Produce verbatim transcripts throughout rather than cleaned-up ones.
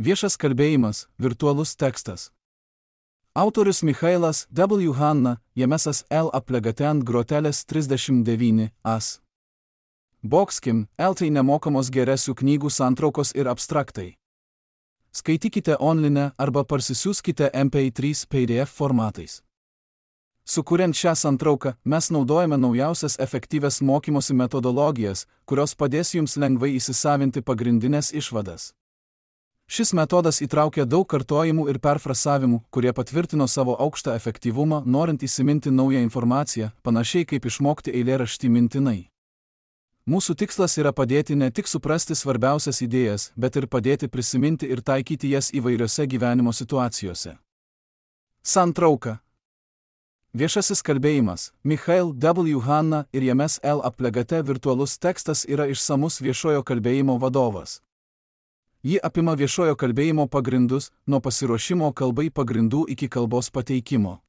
Viešas kalbėjimas – virtualus tekstas. Autorius Michailas W. Hanna, Jemesas L. Aplegatent grotelės trisdešimt devyni as. Bokskim, L. Tai nemokamos geresių knygų santraukos ir abstraktai. Skaitykite online arba parsisiųskite M P trys P D F formatais. Sukuriant šią santrauką, mes naudojame naujausias efektyvias mokymosi metodologijas, kurios padės jums lengvai įsisavinti pagrindinės išvadas. Šis metodas įtraukia daug kartojimų ir perfrasavimų, kurie patvirtino savo aukštą efektyvumą, norint įsiminti naują informaciją, panašiai kaip išmokti eilėraštį mintinai. Mūsų tikslas yra padėti ne tik suprasti svarbiausias idėjas, bet ir padėti prisiminti ir taikyti jas įvairiose gyvenimo situacijose. Santrauka. Viešasis kalbėjimas – Michail W. Hanna ir Jemes L. Aplegate virtualus tekstas yra išsamus viešojo kalbėjimo vadovas. Ji apima viešojo kalbėjimo pagrindus, nuo pasiruošimo kalbai pagrindų iki kalbos pateikimo.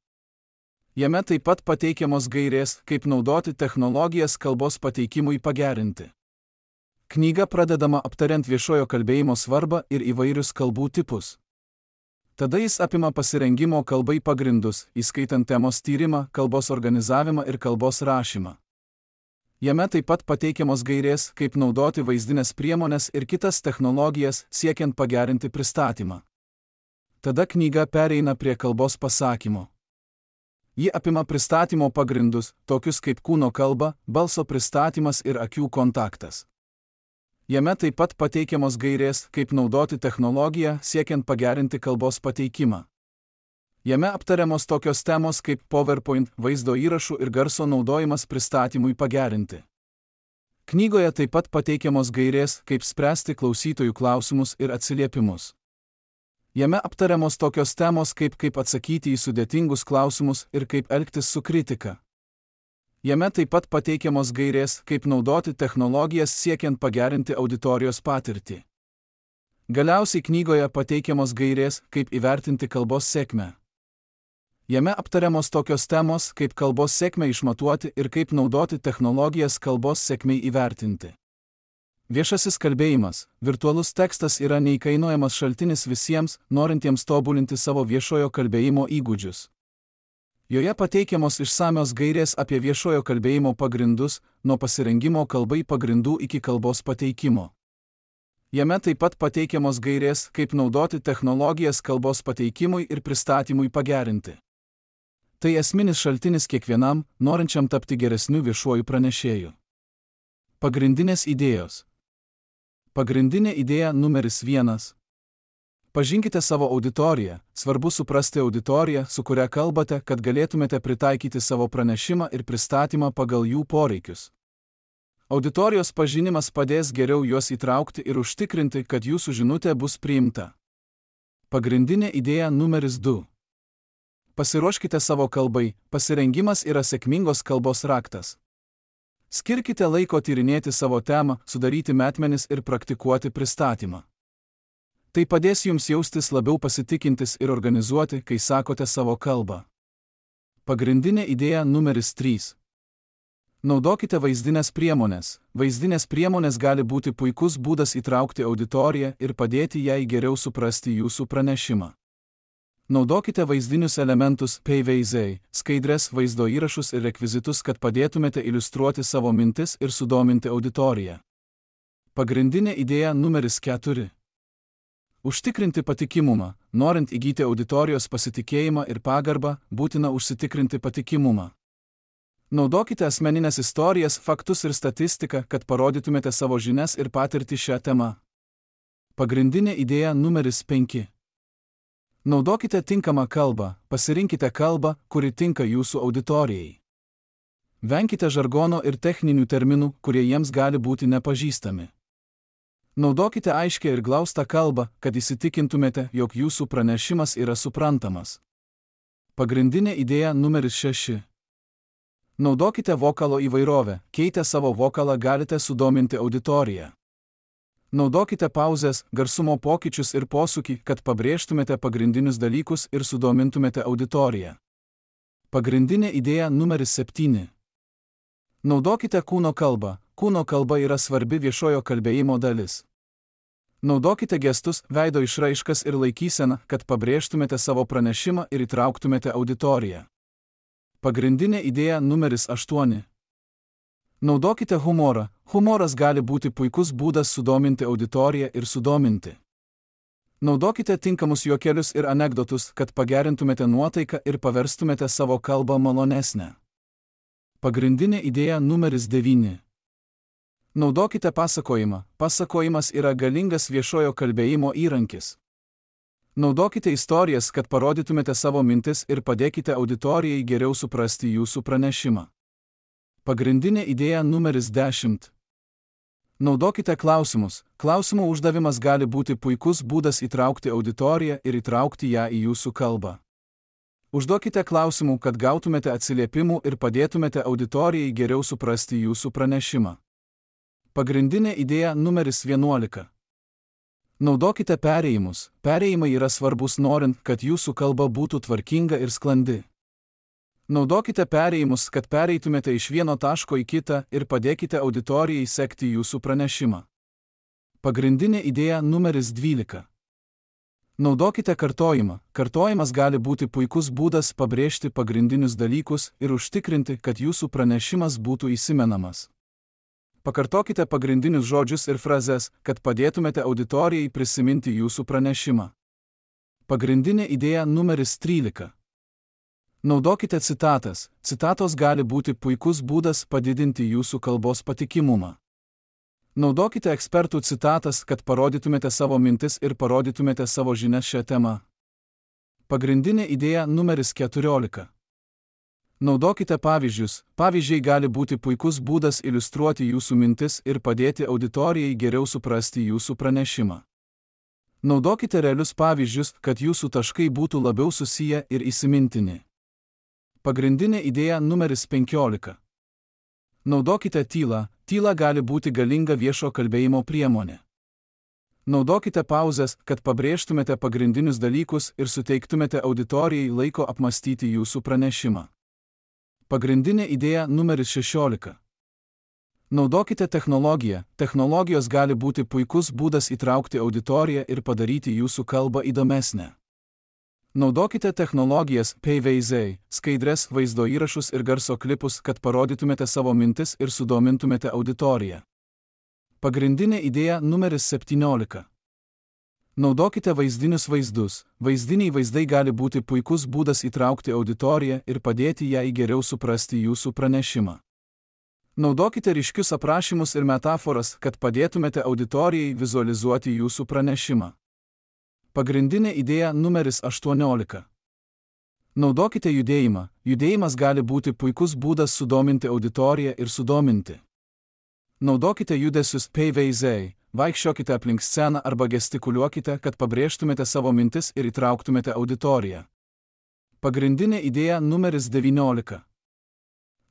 Jame taip pat pateikiamos gairės, kaip naudoti technologijas kalbos pateikimui pagerinti. Knyga pradedama aptariant viešojo kalbėjimo svarbą ir įvairius kalbų tipus. Tada jis apima pasirengimo kalbai pagrindus, įskaitant temos tyrimą, kalbos organizavimą ir kalbos rašymą. Jame taip pat pateikiamos gairės, kaip naudoti vaizdinės priemones ir kitas technologijas, siekiant pagerinti pristatymą. Tada knyga pereina prie kalbos pasakymo. Ji apima pristatymo pagrindus, tokius kaip kūno kalba, balso pristatymas ir akių kontaktas. Jame taip pat pateikiamos gairės, kaip naudoti technologiją, siekiant pagerinti kalbos pateikimą. Jame aptariamos tokios temos kaip PowerPoint, vaizdo įrašų ir garso naudojimas pristatymui pagerinti. Knygoje taip pat pateikiamos gairės, kaip spręsti klausytojų klausimus ir atsiliepimus. Jame aptariamos tokios temos kaip kaip atsakyti į sudėtingus klausimus ir kaip elgtis su kritika. Jame taip pat pateikiamos gairės, kaip naudoti technologijas siekiant pagerinti auditorijos patirtį. Galiausiai knygoje pateikiamos gairės, kaip įvertinti kalbos sėkmę. Jame aptariamos tokios temos, kaip kalbos sėkmę išmatuoti ir kaip naudoti technologijas kalbos sėkmei įvertinti. Viešasis kalbėjimas, virtualus tekstas yra neįkainojamas šaltinis visiems, norintiems tobulinti savo viešojo kalbėjimo įgūdžius. Joje pateikiamos išsamios gairės apie viešojo kalbėjimo pagrindus, nuo pasirengimo kalbai pagrindų iki kalbos pateikimo. Jame taip pat pateikiamos gairės, kaip naudoti technologijas kalbos pateikimui ir pristatymui pagerinti. Tai esminis šaltinis kiekvienam, norinčiam tapti geresniu viešuoju pranešėju. Pagrindinės idėjos. Pagrindinė idėja numeris vienas. Pažinkite savo auditoriją, svarbu suprasti auditoriją, su kuria kalbate, kad galėtumėte pritaikyti savo pranešimą ir pristatymą pagal jų poreikius. Auditorijos pažinimas padės geriau juos įtraukti ir užtikrinti, kad jūsų žinutė bus priimta. Pagrindinė idėja numeris du. Pasiruoškite savo kalbai, pasirengimas yra sėkmingos kalbos raktas. Skirkite laiko tyrinėti savo temą, sudaryti metmenis ir praktikuoti pristatymą. Tai padės jums jaustis labiau pasitikintis ir organizuoti, kai sakote savo kalbą. Pagrindinė idėja numeris trys. Naudokite vaizdinės priemones. Vaizdinės priemonės gali būti puikus būdas įtraukti auditoriją ir padėti jai geriau suprasti jūsų pranešimą. Naudokite vaizdinius elementus, paveizdai, skaidres, vaizdo įrašus ir rekvizitus, kad padėtumėte iliustruoti savo mintis ir sudominti auditoriją. Pagrindinė idėja numeris keturi. Užtikrinti patikimumą. Norint įgyti auditorijos pasitikėjimą ir pagarbą, būtina užsitikrinti patikimumą. Naudokite asmeninės istorijas, faktus ir statistiką, kad parodytumėte savo žinias ir patirtį šią temą. Pagrindinė idėja numeris penki. Naudokite tinkamą kalbą, pasirinkite kalbą, kuri tinka jūsų auditorijai. Venkite žargono ir techninių terminų, kurie jiems gali būti nepažįstami. Naudokite aiškią ir glaustą kalbą, kad įsitikintumėte, jog jūsų pranešimas yra suprantamas. Pagrindinė idėja numeris šeši. Naudokite vokalo įvairovę, keitę savo vokalą galite sudominti auditoriją. Naudokite pauzes, garsumo pokyčius ir posūkį, kad pabrėžtumėte pagrindinius dalykus ir sudomintumėte auditoriją. Pagrindinė idėja numeris septyni. Naudokite kūno kalbą. Kūno kalba yra svarbi viešojo kalbėjimo dalis. Naudokite gestus, veido išraiškas ir laikyseną, kad pabrėžtumėte savo pranešimą ir įtrauktumėte auditoriją. Pagrindinė idėja numeris aštuoni. Naudokite humorą. Humoras gali būti puikus būdas sudominti auditoriją ir sudominti. Naudokite tinkamus juokelius ir anekdotus, kad pagerintumėte nuotaiką ir paverstumėte savo kalbą malonesnę. Pagrindinė idėja numeris devyni. Naudokite pasakojimą. Pasakojimas yra galingas viešojo kalbėjimo įrankis. Naudokite istorijas, kad parodytumėte savo mintis ir padėkite auditorijai geriau suprasti jūsų pranešimą. Pagrindinė idėja numeris dešimt. Naudokite klausimus. Klausimų uždavimas gali būti puikus būdas įtraukti auditoriją ir įtraukti ją į jūsų kalbą. Užduokite klausimų, kad gautumėte atsiliepimų ir padėtumėte auditorijai geriau suprasti jūsų pranešimą. Pagrindinė idėja numeris vienuolika. Naudokite perėjimus. Perėjimai yra svarbus norint, kad jūsų kalba būtų tvarkinga ir sklandi. Naudokite perėjimus, kad pereitumėte iš vieno taško į kitą ir padėkite auditorijai sekti jūsų pranešimą. Pagrindinė idėja numeris dvylika. Naudokite kartojimą. Kartojimas gali būti puikus būdas pabrėžti pagrindinius dalykus ir užtikrinti, kad jūsų pranešimas būtų įsimenamas. Pakartokite pagrindinius žodžius ir frazes, kad padėtumėte auditorijai prisiminti jūsų pranešimą. Pagrindinė idėja numeris trylika. Naudokite citatas. Citatos gali būti puikus būdas padidinti jūsų kalbos patikimumą. Naudokite ekspertų citatas, kad parodytumėte savo mintis ir parodytumėte savo žinias šią temą. Pagrindinė idėja numeris keturiolika. Naudokite pavyzdžius. Pavyzdžiai gali būti puikus būdas iliustruoti jūsų mintis ir padėti auditorijai geriau suprasti jūsų pranešimą. Naudokite realius pavyzdžius, kad jūsų taškai būtų labiau susiję ir įsimintini. Pagrindinė idėja numeris penkiolika. Naudokite tylą. Tyla gali būti galinga viešo kalbėjimo priemonė. Naudokite pauzes, kad pabrėžtumėte pagrindinius dalykus ir suteiktumėte auditorijai laiko apmastyti jūsų pranešimą. Pagrindinė idėja numeris šešiolika. Naudokite technologiją. Technologijos gali būti puikus būdas įtraukti auditoriją ir padaryti jūsų kalbą įdomesnę. Naudokite technologijas, P V Z, skaidres, vaizdo įrašus ir garso klipus, kad parodytumėte savo mintis ir sudomintumėte auditoriją. Pagrindinė idėja numeris septyniolika. Naudokite vaizdinius vaizdus. Vaizdiniai vaizdai gali būti puikus būdas įtraukti auditoriją ir padėti jai geriau suprasti jūsų pranešimą. Naudokite ryškius aprašymus ir metaforas, kad padėtumėte auditorijai vizualizuoti jūsų pranešimą. Pagrindinė idėja numeris aštuoniolika. Naudokite judėjimą. Judėjimas gali būti puikus būdas sudominti auditoriją ir sudominti. Naudokite judesius P V Z. Vaikščiokite aplink sceną arba gestikuliuokite, kad pabrėžtumėte savo mintis ir įtrauktumėte auditoriją. Pagrindinė idėja numeris devyniolika.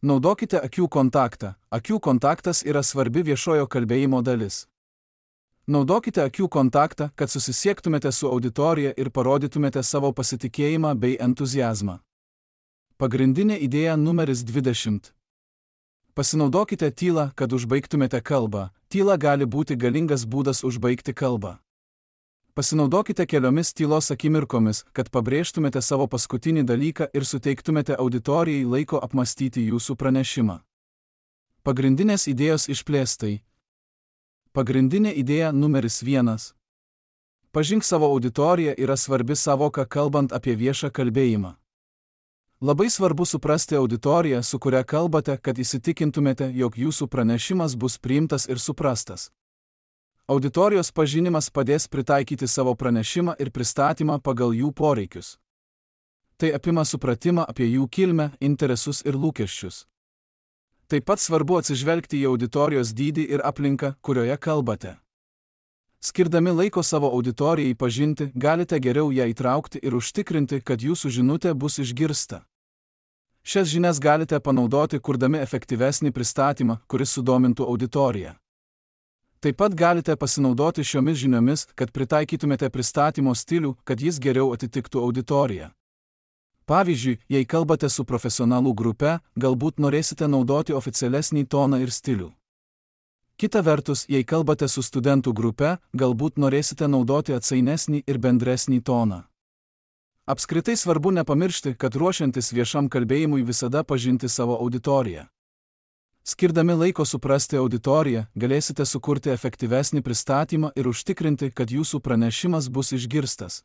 Naudokite akių kontaktą. Akių kontaktas yra svarbi viešojo kalbėjimo dalis. Naudokite akių kontaktą, kad susisiektumėte su auditorija ir parodytumėte savo pasitikėjimą bei entuziazmą. Pagrindinė idėja numeris dvidešimt. Pasinaudokite tylą, kad užbaigtumėte kalbą. Tyla gali būti galingas būdas užbaigti kalbą. Pasinaudokite keliomis tylos akimirkomis, kad pabrėžtumėte savo paskutinį dalyką ir suteiktumėte auditorijai laiko apmastyti jūsų pranešimą. Pagrindinės idėjos išplėstai. Pagrindinė idėja numeris vienas. Pažink savo auditoriją yra svarbi savoka kalbant apie viešą kalbėjimą. Labai svarbu suprasti auditoriją, su kuria kalbate, kad įsitikintumėte, jog jūsų pranešimas bus priimtas ir suprastas. Auditorijos pažinimas padės pritaikyti savo pranešimą ir pristatymą pagal jų poreikius. Tai apima supratimą apie jų kilmę, interesus ir lūkesčius. Taip pat svarbu atsižvelgti į auditorijos dydį ir aplinką, kurioje kalbate. Skirdami laiko savo auditorijai pažinti, galite geriau ją įtraukti ir užtikrinti, kad jūsų žinutė bus išgirsta. Šias žinias galite panaudoti, kurdami efektyvesnį pristatymą, kuris sudomintų auditoriją. Taip pat galite pasinaudoti šiomis žiniomis, kad pritaikytumėte pristatymo stilių, kad jis geriau atitiktų auditoriją. Pavyzdžiui, jei kalbate su profesionalų grupe, galbūt norėsite naudoti oficialesnį toną ir stilių. Kita vertus, jei kalbate su studentų grupe, galbūt norėsite naudoti atsainesnį ir bendresnį toną. Apskritai svarbu nepamiršti, kad ruošiantis viešam kalbėjimui visada pažinti savo auditoriją. Skirdami laiko suprasti auditoriją, galėsite sukurti efektyvesnį pristatymą ir užtikrinti, kad jūsų pranešimas bus išgirstas.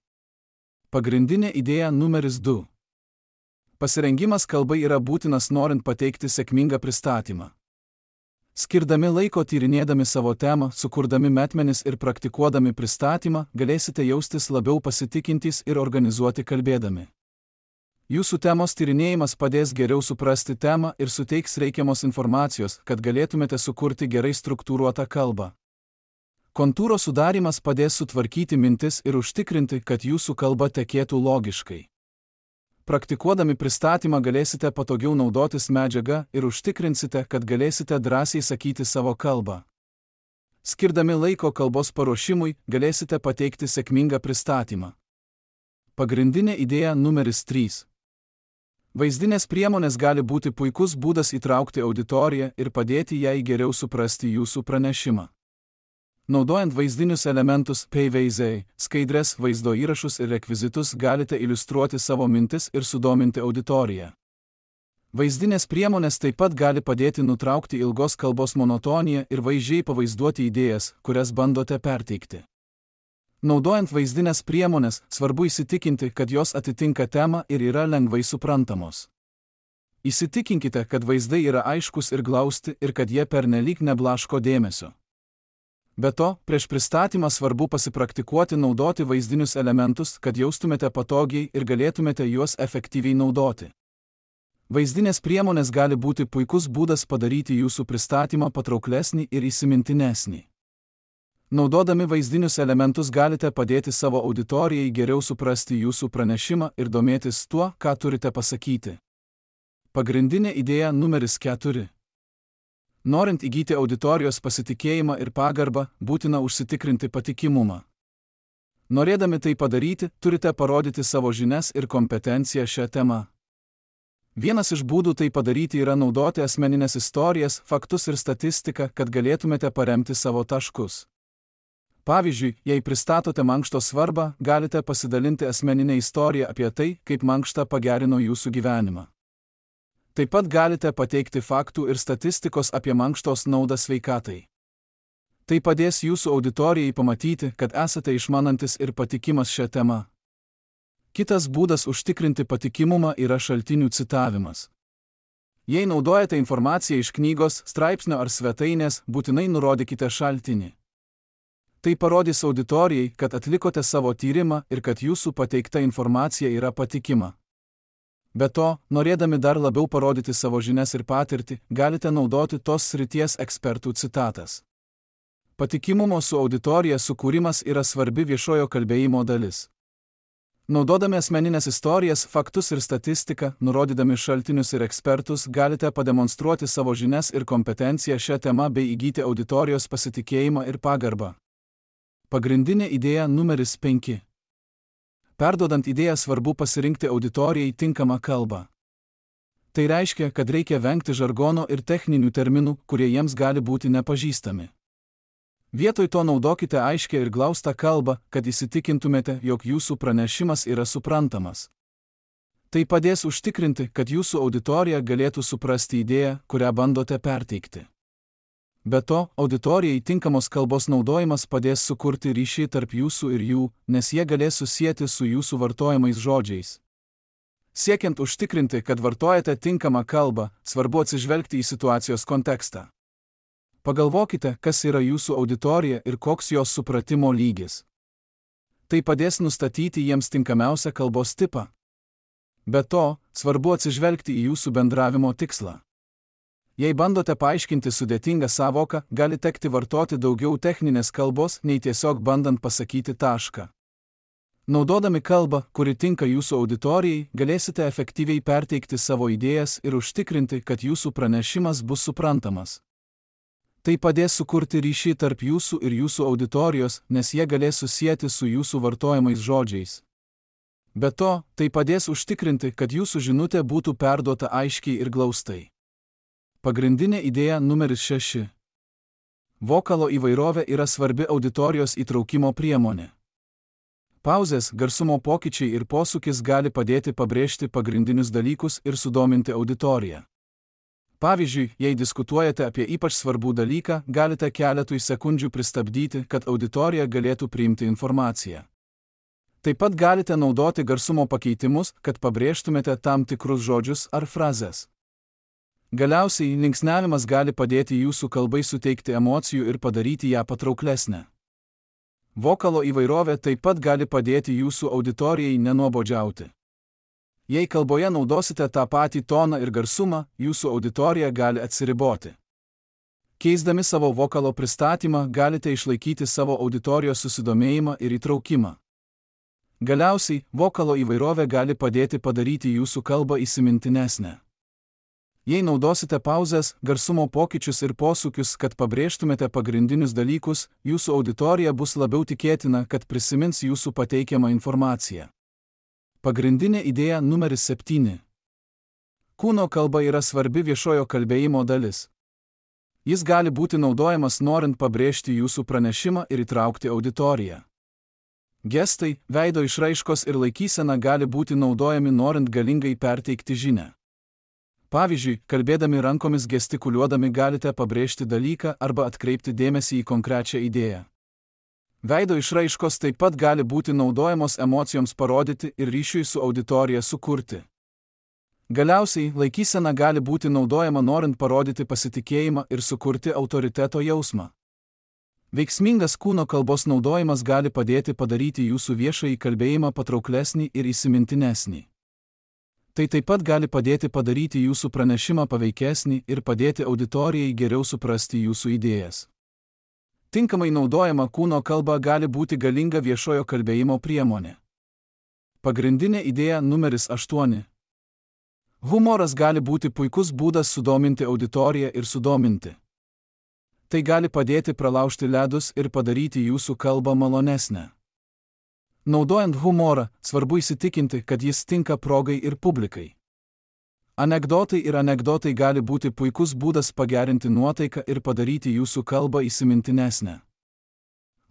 Pagrindinė idėja numeris du. Pasirengimas kalbai yra būtinas norint pateikti sėkmingą pristatymą. Skirdami laiko tyrinėdami savo temą, sukurdami metmenis ir praktikuodami pristatymą, galėsite jaustis labiau pasitikintys ir organizuoti kalbėdami. Jūsų temos tyrinėjimas padės geriau suprasti temą ir suteiks reikiamos informacijos, kad galėtumėte sukurti gerai struktūruotą kalbą. Kontūro sudarymas padės sutvarkyti mintis ir užtikrinti, kad jūsų kalba tekėtų logiškai. Praktikuodami pristatymą galėsite patogiau naudotis medžiaga ir užtikrinsite, kad galėsite drąsiai sakyti savo kalbą. Skirdami laiko kalbos paruošimui, galėsite pateikti sėkmingą pristatymą. Pagrindinė idėja numeris trys. Vaizdinės priemonės gali būti puikus būdas įtraukti auditoriją ir padėti jai geriau suprasti jūsų pranešimą. Naudojant vaizdinius elementus, paveizdai, skaidres, vaizdo įrašus ir rekvizitus galite iliustruoti savo mintis ir sudominti auditoriją. Vaizdinės priemonės taip pat gali padėti nutraukti ilgos kalbos monotoniją ir vaizdžiai pavaizduoti idėjas, kurias bandote perteikti. Naudojant vaizdinės priemonės, svarbu įsitikinti, kad jos atitinka temą ir yra lengvai suprantamos. Įsitikinkite, kad vaizdai yra aiškus ir glausti ir kad jie pernelyg neblaško dėmesio. Be to, prieš pristatymą svarbu pasipraktikuoti naudoti vaizdinius elementus, kad jaustumėte patogiai ir galėtumėte juos efektyviai naudoti. Vaizdinės priemonės gali būti puikus būdas padaryti jūsų pristatymą patrauklesnį ir įsimintinesnį. Naudodami vaizdinius elementus galite padėti savo auditorijai geriau suprasti jūsų pranešimą ir domėtis tuo, ką turite pasakyti. Pagrindinė idėja numeris keturi. Norint įgyti auditorijos pasitikėjimą ir pagarbą, būtina užsitikrinti patikimumą. Norėdami tai padaryti, turite parodyti savo žinias ir kompetenciją šią temą. Vienas iš būdų tai padaryti yra naudoti asmeninės istorijas, faktus ir statistiką, kad galėtumėte paremti savo taškus. Pavyzdžiui, jei pristatote mankšto svarbą, galite pasidalinti asmeninę istoriją apie tai, kaip mankšta pagerino jūsų gyvenimą. Taip pat galite pateikti faktų ir statistikos apie mankštos naudą sveikatai. Tai padės jūsų auditorijai pamatyti, kad esate išmanantis ir patikimas šią temą. Kitas būdas užtikrinti patikimumą yra šaltinių citavimas. Jei naudojate informaciją iš knygos, straipsnio ar svetainės, būtinai nurodykite šaltinį. Tai parodys auditorijai, kad atlikote savo tyrimą ir kad jūsų pateikta informacija yra patikima. Be to, norėdami dar labiau parodyti savo žinias ir patirtį, galite naudoti tos srities ekspertų citatas. Patikimumo su auditorija sukūrimas yra svarbi viešojo kalbėjimo dalis. Naudodami asmeninės istorijas, faktus ir statistiką, nurodydami šaltinius ir ekspertus, galite pademonstruoti savo žinias ir kompetenciją šią temą bei įgyti auditorijos pasitikėjimą ir pagarbą. Pagrindinė idėja numeris penki. Perduodant idėją svarbu pasirinkti auditorijai tinkamą kalbą. Tai reiškia, kad reikia vengti žargono ir techninių terminų, kurie jiems gali būti nepažįstami. Vietoj to naudokite aiškią ir glaustą kalbą, kad įsitikintumėte, jog jūsų pranešimas yra suprantamas. Tai padės užtikrinti, kad jūsų auditorija galėtų suprasti idėją, kurią bandote perteikti. Be to, auditorijai tinkamos kalbos naudojimas padės sukurti ryšį tarp jūsų ir jų, nes jie galės susieti su jūsų vartojamais žodžiais. Siekiant užtikrinti, kad vartojate tinkamą kalbą, svarbu atsižvelgti į situacijos kontekstą. Pagalvokite, kas yra jūsų auditorija ir koks jos supratimo lygis. Tai padės nustatyti jiems tinkamiausią kalbos tipą. Be to, svarbu atsižvelgti į jūsų bendravimo tikslą. Jei bandote paaiškinti sudėtingą sąvoką, gali tekti vartoti daugiau techninės kalbos, nei tiesiog bandant pasakyti tašką. Naudodami kalbą, kuri tinka jūsų auditorijai, galėsite efektyviai perteikti savo idėjas ir užtikrinti, kad jūsų pranešimas bus suprantamas. Tai padės sukurti ryšį tarp jūsų ir jūsų auditorijos, nes jie galės susieti su jūsų vartojamais žodžiais. Be to, tai padės užtikrinti, kad jūsų žinutė būtų perduota aiškiai ir glaustai. Pagrindinė idėja numeris šeši. Vokalo įvairovė yra svarbi auditorijos įtraukimo priemonė. Pauzės, garsumo pokyčiai ir posūkis gali padėti pabrėžti pagrindinius dalykus ir sudominti auditoriją. Pavyzdžiui, jei diskutuojate apie ypač svarbų dalyką, galite keletui sekundžių pristabdyti, kad auditorija galėtų priimti informaciją. Taip pat galite naudoti garsumo pakeitimus, kad pabrėžtumėte tam tikrus žodžius ar frazes. Galiausiai, linksniavimas gali padėti jūsų kalbai suteikti emocijų ir padaryti ją patrauklesnę. Vokalo įvairovė taip pat gali padėti jūsų auditorijai nenuobodžiauti. Jei kalboje naudosite tą patį toną ir garsumą, jūsų auditorija gali atsiriboti. Keisdami savo vokalo pristatymą, galite išlaikyti savo auditorijos susidomėjimą ir įtraukimą. Galiausiai, vokalo įvairovė gali padėti padaryti jūsų kalbą įsimintinesnę. Jei naudosite pauzes, garsumo pokyčius ir posūkius, kad pabrėžtumėte pagrindinius dalykus, jūsų auditorija bus labiau tikėtina, kad prisimins jūsų pateikiamą informaciją. Pagrindinė idėja numeris septyni. Kūno kalba yra svarbi viešojo kalbėjimo dalis. Jis gali būti naudojamas norint pabrėžti jūsų pranešimą ir įtraukti auditoriją. Gestai, veido išraiškos ir laikysena gali būti naudojami norint galingai perteikti žinią. Pavyzdžiui, kalbėdami rankomis gestikuliuodami galite pabrėžti dalyką arba atkreipti dėmesį į konkrečią idėją. Veido išraiškos taip pat gali būti naudojamos emocijoms parodyti ir ryšiui su auditorija sukurti. Galiausiai, laikysena gali būti naudojama norint parodyti pasitikėjimą ir sukurti autoriteto jausmą. Veiksmingas kūno kalbos naudojimas gali padėti padaryti jūsų viešąjį kalbėjimą patrauklesnį ir įsimintinesnį. Tai taip pat gali padėti padaryti jūsų pranešimą paveikesnį ir padėti auditorijai geriau suprasti jūsų idėjas. Tinkamai naudojama kūno kalba gali būti galinga viešojo kalbėjimo priemonė. Pagrindinė idėja numeris aštuoni. Humoras gali būti puikus būdas sudominti auditoriją ir sudominti. Tai gali padėti pralaužti ledus ir padaryti jūsų kalbą malonesnę. Naudojant humorą, svarbu įsitikinti, kad jis tinka progai ir publikai. Anekdotai ir anekdotai gali būti puikus būdas pagerinti nuotaiką ir padaryti jūsų kalbą įsimintinesnę.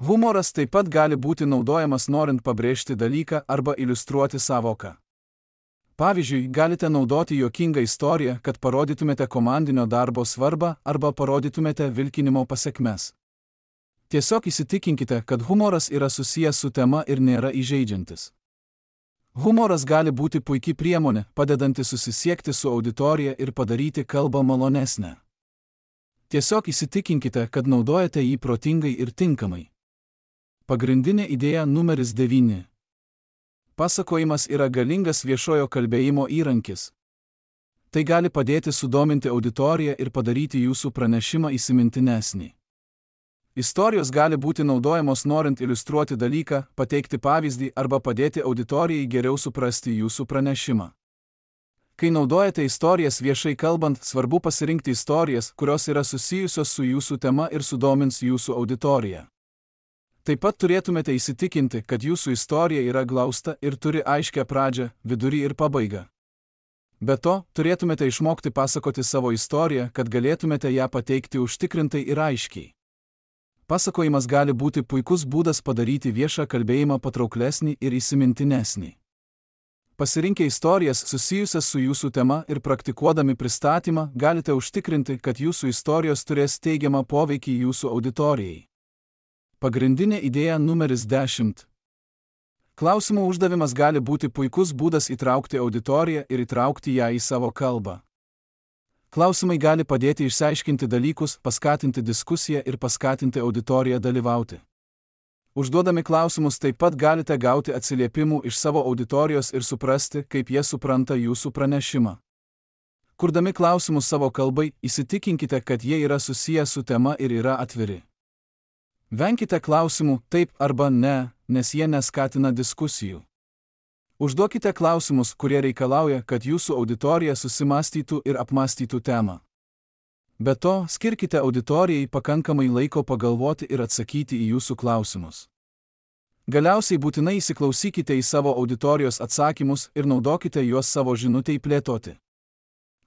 Humoras taip pat gali būti naudojamas norint pabrėžti dalyką arba iliustruoti sąvoką. Pavyzdžiui, galite naudoti juokingą istoriją, kad parodytumėte komandinio darbo svarbą arba parodytumėte vilkinimo pasekmes. Tiesiog įsitikinkite, kad humoras yra susijęs su tema ir nėra įžeidžiantis. Humoras gali būti puikiai priemonė, padedanti susisiekti su auditorija ir padaryti kalbą malonesnę. Tiesiog įsitikinkite, kad naudojate jį protingai ir tinkamai. Pagrindinė idėja numeris devyni. Pasakojimas yra galingas viešojo kalbėjimo įrankis. Tai gali padėti sudominti auditoriją ir padaryti jūsų pranešimą įsimintinesnį. Istorijos gali būti naudojamos norint iliustruoti dalyką, pateikti pavyzdį arba padėti auditorijai geriau suprasti jūsų pranešimą. Kai naudojate istorijas viešai kalbant, svarbu pasirinkti istorijas, kurios yra susijusios su jūsų tema ir sudomins jūsų auditoriją. Taip pat turėtumėte įsitikinti, kad jūsų istorija yra glausta ir turi aiškią pradžią, vidurį ir pabaigą. Be to, turėtumėte išmokti pasakoti savo istoriją, kad galėtumėte ją pateikti užtikrintai ir aiškiai. Pasakojimas gali būti puikus būdas padaryti viešą kalbėjimą patrauklesnį ir įsimintinesnį. Pasirinkę istorijas susijusias su jūsų tema ir praktikuodami pristatymą, galite užtikrinti, kad jūsų istorijos turės teigiamą poveikį jūsų auditorijai. Pagrindinė idėja numeris dešimt. Klausimų uždavimas gali būti puikus būdas įtraukti auditoriją ir įtraukti ją į savo kalbą. Klausimai gali padėti išsiaiškinti dalykus, paskatinti diskusiją ir paskatinti auditoriją dalyvauti. Užduodami klausimus taip pat galite gauti atsiliepimų iš savo auditorijos ir suprasti, kaip jie supranta jūsų pranešimą. Kurdami klausimus savo kalbai, įsitikinkite, kad jie yra susiję su tema ir yra atviri. Venkite klausimų taip arba ne, nes jie neskatina diskusijų. Užduokite klausimus, kurie reikalauja, kad jūsų auditorija susimąstytų ir apmąstytų temą. Be to, skirkite auditorijai pakankamai laiko pagalvoti ir atsakyti į jūsų klausimus. Galiausiai būtinai įsiklausykite į savo auditorijos atsakymus ir naudokite juos savo žinutei plėtoti.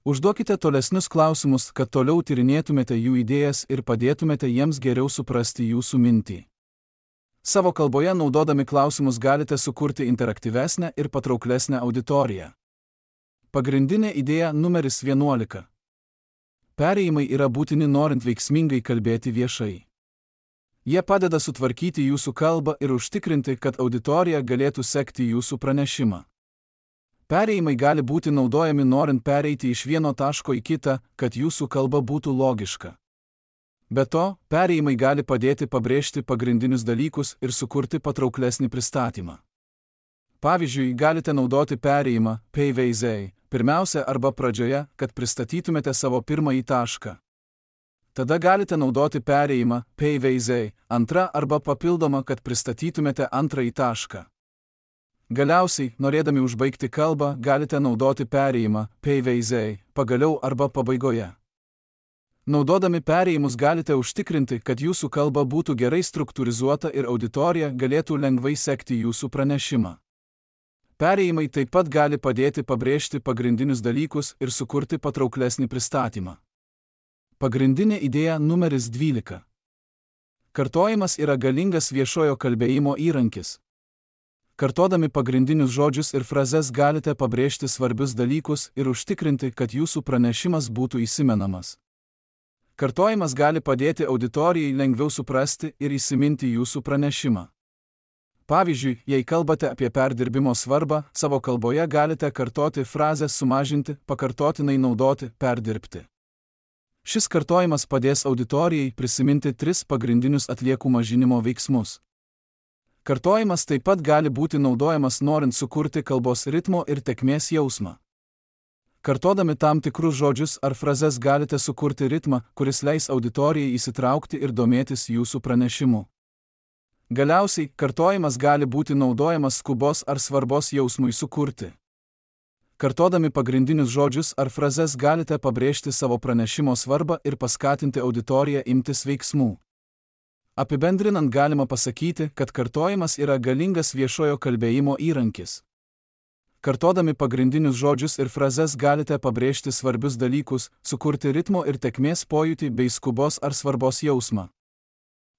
Užduokite tolesnius klausimus, kad toliau tyrinėtumėte jų idėjas ir padėtumėte jiems geriau suprasti jūsų mintį. Savo kalboje naudodami klausimus galite sukurti interaktyvesnę ir patrauklesnę auditoriją. Pagrindinė idėja numeris vienuolika. Perėjimai yra būtini norint veiksmingai kalbėti viešai. Jie padeda sutvarkyti jūsų kalbą ir užtikrinti, kad auditorija galėtų sekti jūsų pranešimą. Perėjimai gali būti naudojami norint pereiti iš vieno taško į kitą, kad jūsų kalba būtų logiška. Be to, perėjimai gali padėti pabrėžti pagrindinius dalykus ir sukurti patrauklesnį pristatymą. Pavyzdžiui, galite naudoti perėjimą peiveizei pirmiausia arba pradžioje, kad pristatytumėte savo pirmąjį tašką. Tada galite naudoti perėjimą peiveizei antra arba papildomą, kad pristatytumėte antrąjį tašką. Galiausiai, norėdami užbaigti kalbą, galite naudoti perėjimą peiveizei pagaliau arba pabaigoje. Naudodami perėjimus galite užtikrinti, kad jūsų kalba būtų gerai struktūrizuota ir auditorija galėtų lengvai sekti jūsų pranešimą. Perėjimai taip pat gali padėti pabrėžti pagrindinius dalykus ir sukurti patrauklesnį pristatymą. Pagrindinė idėja numeris dvylika. Kartojimas yra galingas viešojo kalbėjimo įrankis. Kartodami pagrindinius žodžius ir frazes galite pabrėžti svarbius dalykus ir užtikrinti, kad jūsų pranešimas būtų įsimenamas. Kartojimas gali padėti auditorijai lengviau suprasti ir įsiminti jūsų pranešimą. Pavyzdžiui, jei kalbate apie perdirbimo svarbą, savo kalboje galite kartoti frazę sumažinti, pakartotinai naudoti, perdirbti. Šis kartojimas padės auditorijai prisiminti tris pagrindinius atliekų mažinimo veiksmus. Kartojimas taip pat gali būti naudojamas norint sukurti kalbos ritmo ir tėkmės jausmą. Kartodami tam tikrus žodžius ar frazes galite sukurti ritmą, kuris leis auditorijai įsitraukti ir domėtis jūsų pranešimu. Galiausiai, kartojimas gali būti naudojamas skubos ar svarbos jausmui sukurti. Kartodami pagrindinius žodžius ar frazes galite pabrėžti savo pranešimo svarbą ir paskatinti auditoriją imtis veiksmų. Apibendrinant galima pasakyti, kad kartojimas yra galingas viešojo kalbėjimo įrankis. Kartodami pagrindinius žodžius ir frazes galite pabrėžti svarbius dalykus, sukurti ritmo ir tėkmės pojūtį bei skubos ar svarbos jausmą.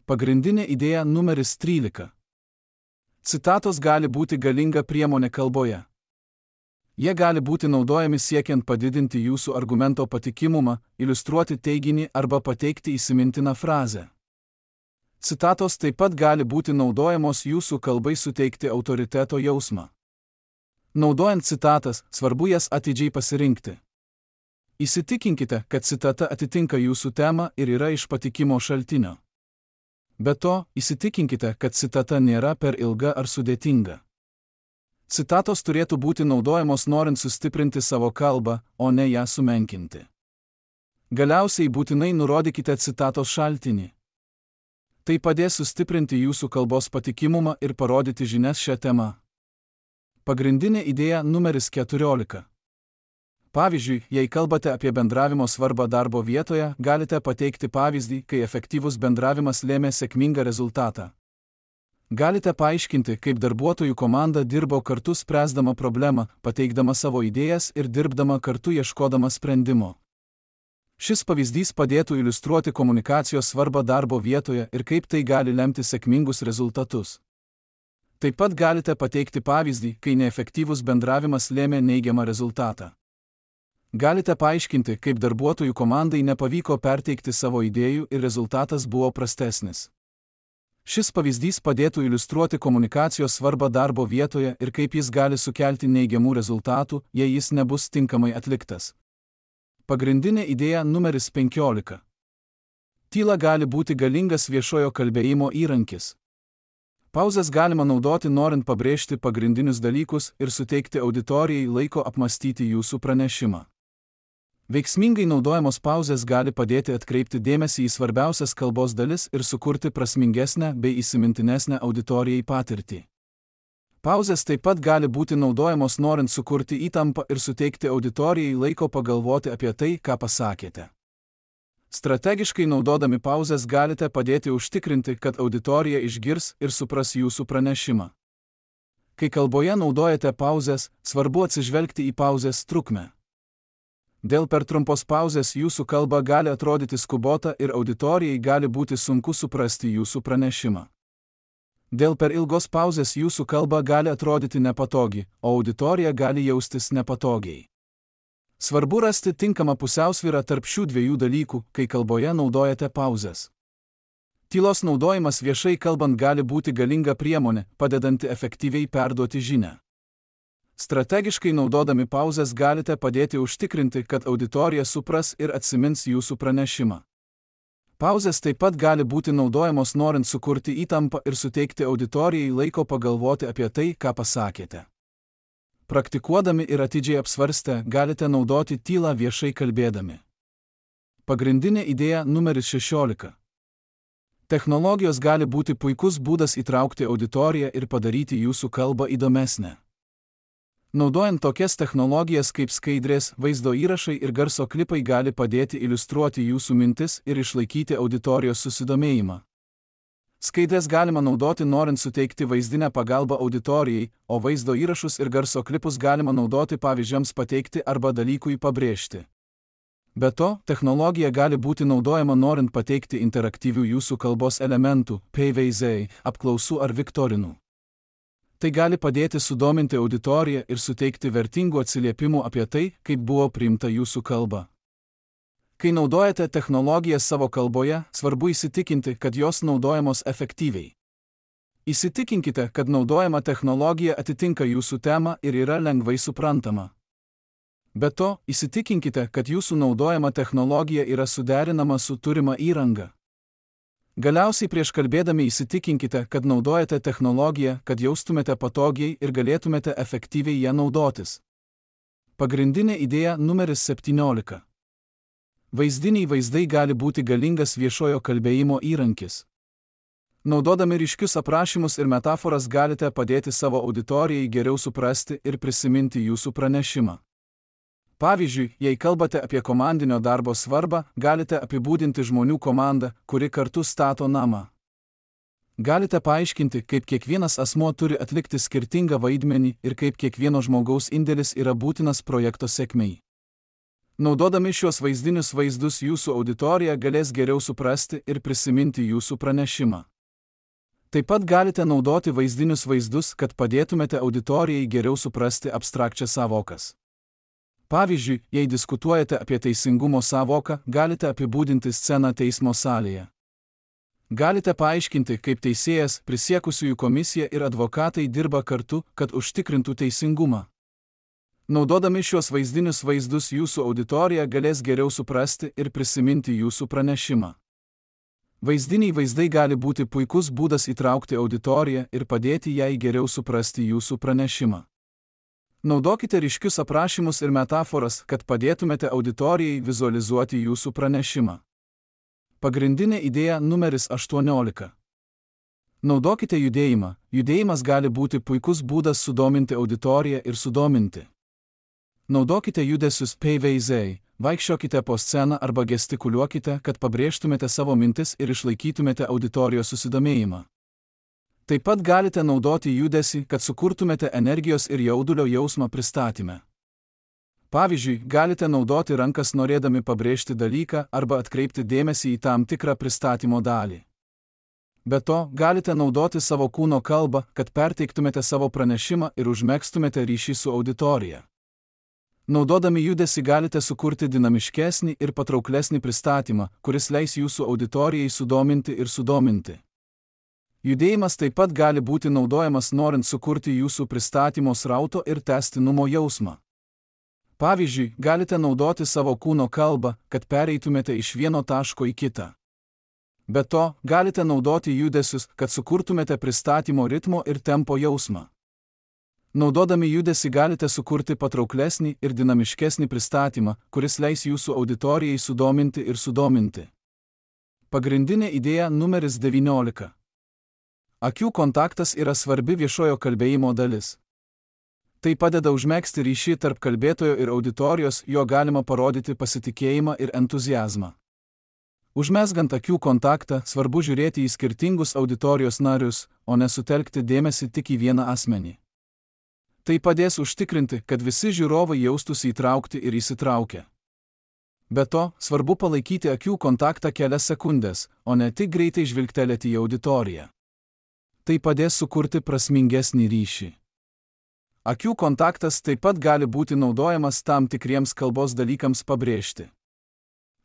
Pagrindinė idėja numeris trylika. Citatos gali būti galinga priemonė kalboje. Jie gali būti naudojami siekiant padidinti jūsų argumento patikimumą, iliustruoti teiginį arba pateikti įsimintiną frazę. Citatos taip pat gali būti naudojamos jūsų kalbai suteikti autoriteto jausmą. Naudojant citatas, svarbu jas atidžiai pasirinkti. Įsitikinkite, kad citata atitinka jūsų temą ir yra iš patikimo šaltinio. Be to, įsitikinkite, kad citata nėra per ilga ar sudėtinga. Citatos turėtų būti naudojamos norint sustiprinti savo kalbą, o ne ją sumenkinti. Galiausiai būtinai nurodykite citatos šaltinį. Tai padės sustiprinti jūsų kalbos patikimumą ir parodyti žinias šią temą. Pagrindinė idėja numeris keturiolika. Pavyzdžiui, jei kalbate apie bendravimo svarbą darbo vietoje, galite pateikti pavyzdį, kai efektyvus bendravimas lėmė sėkmingą rezultatą. Galite paaiškinti, kaip darbuotojų komanda dirbo kartu spręsdama problemą, pateikdama savo idėjas ir dirbdama kartu ieškodama sprendimo. Šis pavyzdys padėtų iliustruoti komunikacijos svarbą darbo vietoje ir kaip tai gali lemti sėkmingus rezultatus. Taip pat galite pateikti pavyzdį, kai neefektyvus bendravimas lėmė neigiamą rezultatą. Galite paaiškinti, kaip darbuotojų komandai nepavyko perteikti savo idėjų ir rezultatas buvo prastesnis. Šis pavyzdys padėtų iliustruoti komunikacijos svarbą darbo vietoje ir kaip jis gali sukelti neigiamų rezultatų, jei jis nebus tinkamai atliktas. Pagrindinė idėja numeris penkiolika. Tyla gali būti galingas viešojo kalbėjimo įrankis. Pauzes galima naudoti norint pabrėžti pagrindinius dalykus ir suteikti auditorijai laiko apmąstyti jūsų pranešimą. Veiksmingai naudojamos pauzės gali padėti atkreipti dėmesį į svarbiausias kalbos dalis ir sukurti prasmingesnę bei įsimintinesnę auditorijai patirtį. Pauzės taip pat gali būti naudojamos norint sukurti įtampą ir suteikti auditorijai laiko pagalvoti apie tai, ką pasakėte. Strategiškai naudodami pauzes galite padėti užtikrinti, kad auditorija išgirs ir supras jūsų pranešimą. Kai kalboje naudojate pauzes, svarbu atsižvelgti į pauzės trukmę. Dėl per trumpos pauzės jūsų kalba gali atrodyti skubota ir auditorijai gali būti sunku suprasti jūsų pranešimą. Dėl per ilgos pauzės jūsų kalba gali atrodyti nepatogi, o auditorija gali jaustis nepatogiai. Svarbu rasti tinkamą pusiausvyrą tarp šių dviejų dalykų, kai kalboje naudojate pauzes. Tylos naudojimas viešai kalbant gali būti galinga priemonė, padedanti efektyviai perduoti žinią. Strategiškai naudodami pauzes galite padėti užtikrinti, kad auditorija supras ir atsimins jūsų pranešimą. Pauzės taip pat gali būti naudojamos norint sukurti įtampą ir suteikti auditorijai laiko pagalvoti apie tai, ką pasakėte. Praktikuodami ir atidžiai apsvarstę, galite naudoti tylą viešai kalbėdami. Pagrindinė idėja numeris šešiolika. Technologijos gali būti puikus būdas įtraukti auditoriją ir padaryti jūsų kalbą įdomesnę. Naudojant tokias technologijas kaip skaidrės, vaizdo įrašai ir garso klipai gali padėti iliustruoti jūsų mintis ir išlaikyti auditorijos susidomėjimą. Skaidrės galima naudoti norint suteikti vaizdinę pagalbą auditorijai, o vaizdo įrašus ir garso klipus galima naudoti pavyzdžiams pateikti arba dalykui pabrėžti. Be to, technologija gali būti naudojama norint pateikti interaktyvių jūsų kalbos elementų, P V Z, apklausų ar viktorinų. Tai gali padėti sudominti auditoriją ir suteikti vertingų atsiliepimų apie tai, kaip buvo priimta jūsų kalba. Kai naudojate technologijas savo kalboje, svarbu įsitikinti, kad jos naudojamos efektyviai. Įsitikinkite, kad naudojama technologija atitinka jūsų temą ir yra lengvai suprantama. Be to, įsitikinkite, kad jūsų naudojama technologija yra suderinama su turima įranga. Galiausiai prieš kalbėdami įsitikinkite, kad naudojate technologiją, kad jaustumėte patogiai ir galėtumėte efektyviai ją naudotis. Pagrindinė idėja numeris septyniolika. Vaizdiniai vaizdai gali būti galingas viešojo kalbėjimo įrankis. Naudodami ryškius aprašymus ir metaforas galite padėti savo auditorijai geriau suprasti ir prisiminti jūsų pranešimą. Pavyzdžiui, jei kalbate apie komandinio darbo svarbą, galite apibūdinti žmonių komandą, kuri kartu stato namą. Galite paaiškinti, kaip kiekvienas asmuo turi atlikti skirtingą vaidmenį ir kaip kiekvieno žmogaus indėlis yra būtinas projekto sėkmei. Naudodami šios vaizdinius vaizdus jūsų auditorija galės geriau suprasti ir prisiminti jūsų pranešimą. Taip pat galite naudoti vaizdinius vaizdus, kad padėtumėte auditorijai geriau suprasti abstrakčias sąvokas. Pavyzdžiui, jei diskutuojate apie teisingumo sąvoką, galite apibūdinti sceną teismo salėje. Galite paaiškinti, kaip teisėjas, prisiekusiųjų komisija ir advokatai dirba kartu, kad užtikrintų teisingumą. Naudodami šios vaizdinius vaizdus jūsų auditorija galės geriau suprasti ir prisiminti jūsų pranešimą. Vaizdiniai vaizdai gali būti puikus būdas įtraukti auditoriją ir padėti jai geriau suprasti jūsų pranešimą. Naudokite ryškius aprašymus ir metaforas, kad padėtumėte auditorijai vizualizuoti jūsų pranešimą. Pagrindinė idėja numeris aštuoniolika. Naudokite judėjimą. Judėjimas gali būti puikus būdas sudominti auditoriją ir sudominti. Naudokite judesius P V Z, vaikščiokite po sceną arba gestikuliuokite, kad pabrėžtumėte savo mintis ir išlaikytumėte auditorijos susidomėjimą. Taip pat galite naudoti judesį, kad sukurtumėte energijos ir jaudulio jausmą pristatyme. Pavyzdžiui, galite naudoti rankas norėdami pabrėžti dalyką arba atkreipti dėmesį į tam tikrą pristatymo dalį. Be to, galite naudoti savo kūno kalbą, kad perteiktumėte savo pranešimą ir užmegztumėte ryšį su auditorija. Naudodami judesį galite sukurti dinamiškesnį ir patrauklesnį pristatymą, kuris leis jūsų auditorijai sudominti ir sudominti. Judėjimas taip pat gali būti naudojamas norint sukurti jūsų pristatymo srauto ir tęstinumo jausmą. Pavyzdžiui, galite naudoti savo kūno kalbą, kad pereitumėte iš vieno taško į kitą. Be to, galite naudoti judesius, kad sukurtumėte pristatymo ritmo ir tempo jausmą. Naudodami judesį galite sukurti patrauklesnį ir dinamiškesnį pristatymą, kuris leis jūsų auditorijai sudominti ir sudominti. Pagrindinė idėja numeris devyniolika. Akių kontaktas yra svarbi viešojo kalbėjimo dalis. Tai padeda užmegzti ryšį tarp kalbėtojo ir auditorijos, jo galima parodyti pasitikėjimą ir entuziazmą. Užmezgant akių kontaktą, svarbu žiūrėti į skirtingus auditorijos narius, o ne sutelkti dėmesį tik į vieną asmenį. Tai padės užtikrinti, kad visi žiūrovai jaustųsi įtraukti ir įsitraukę. Be to, svarbu palaikyti akių kontaktą kelias sekundės, o ne tik greitai žvilgtelėti į auditoriją. Tai padės sukurti prasmingesnį ryšį. Akių kontaktas taip pat gali būti naudojamas tam tikriems kalbos dalykams pabrėžti.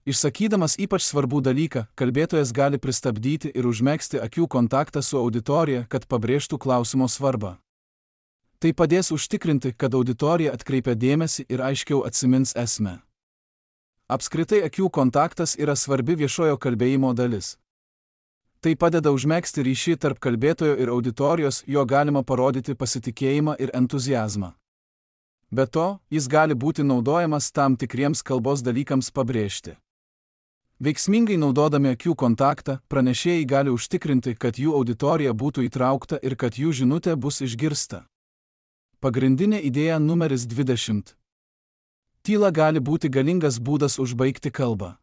Išsakydamas ypač svarbų dalyką, kalbėtojas gali pristabdyti ir užmegzti akių kontaktą su auditorija, kad pabrėžtų klausimo svarbą. Tai padės užtikrinti, kad auditorija atkreipia dėmesį ir aiškiau atsimins esmę. Apskritai akių kontaktas yra svarbi viešojo kalbėjimo dalis. Tai padeda užmegzti ryšį tarp kalbėtojo ir auditorijos, jo galima parodyti pasitikėjimą ir entuziazmą. Be to, jis gali būti naudojamas tam tikriems kalbos dalykams pabrėžti. Veiksmingai naudodami akių kontaktą, pranešėjai gali užtikrinti, kad jų auditorija būtų įtraukta ir kad jų žinutė bus išgirsta. Pagrindinė idėja numeris dvidešimt. Tyla gali būti galingas būdas užbaigti kalbą.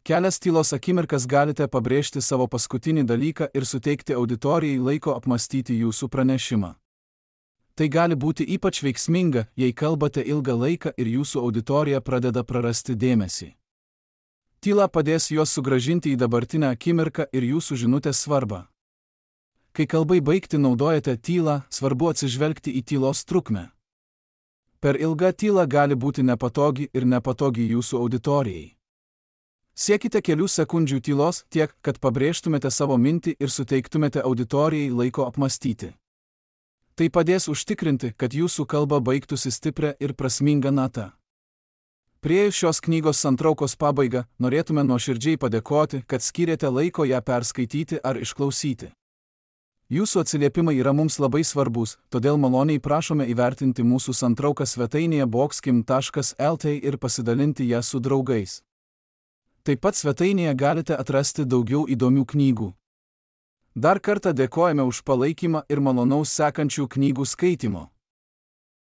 Kelias tylos akimirkas galite pabrėžti savo paskutinį dalyką ir suteikti auditorijai laiko apmastyti jūsų pranešimą. Tai gali būti ypač veiksminga, jei kalbate ilgą laiką ir jūsų auditorija pradeda prarasti dėmesį. Tyla padės juos sugrąžinti į dabartinę akimirką ir jūsų žinutės svarbą. Kai kalbai baigti naudojate tylą, svarbu atsižvelgti į tylos trukmę. Per ilga tyla gali būti nepatogi ir nepatogi jūsų auditorijai. Siekite kelių sekundžių tylos tiek, kad pabrėžtumėte savo mintį ir suteiktumėte auditorijai laiko apmastyti. Tai padės užtikrinti, kad jūsų kalba baigtųsi stiprią ir prasmingą natą. Priėjus šios knygos santraukos pabaigą, norėtume nuoširdžiai padėkoti, kad skyrėte laiko ją perskaityti ar išklausyti. Jūsų atsiliepimai yra mums labai svarbus, todėl maloniai prašome įvertinti mūsų santrauką svetainėje boxkim taškas el t ir pasidalinti ją su draugais. Taip pat svetainėje galite atrasti daugiau įdomių knygų. Dar kartą dėkojame už palaikymą ir malonaus sekančių knygų skaitimo.